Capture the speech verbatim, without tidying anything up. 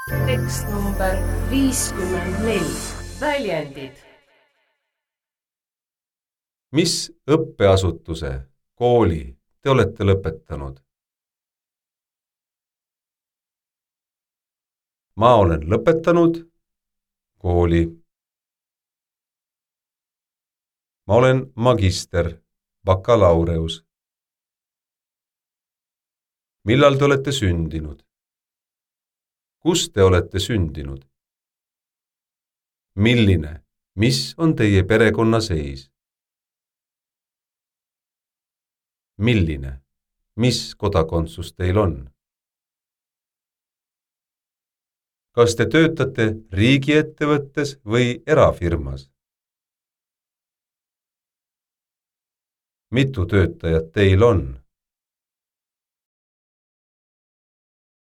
Tekst number viiskümmend neli. Väljendid. Mis õppeasutuse, kooli te olete lõpetanud? Ma olen lõpetanud kooli. Ma olen magister, bakalaureus. Millal te olete sündinud? Kus te olete sündinud? Milline, mis on teie perekonna seis? Milline, mis kodakondsus teil on? Kas te töötate riigiettevõttes või erafirmas? Mitu töötajat teil on?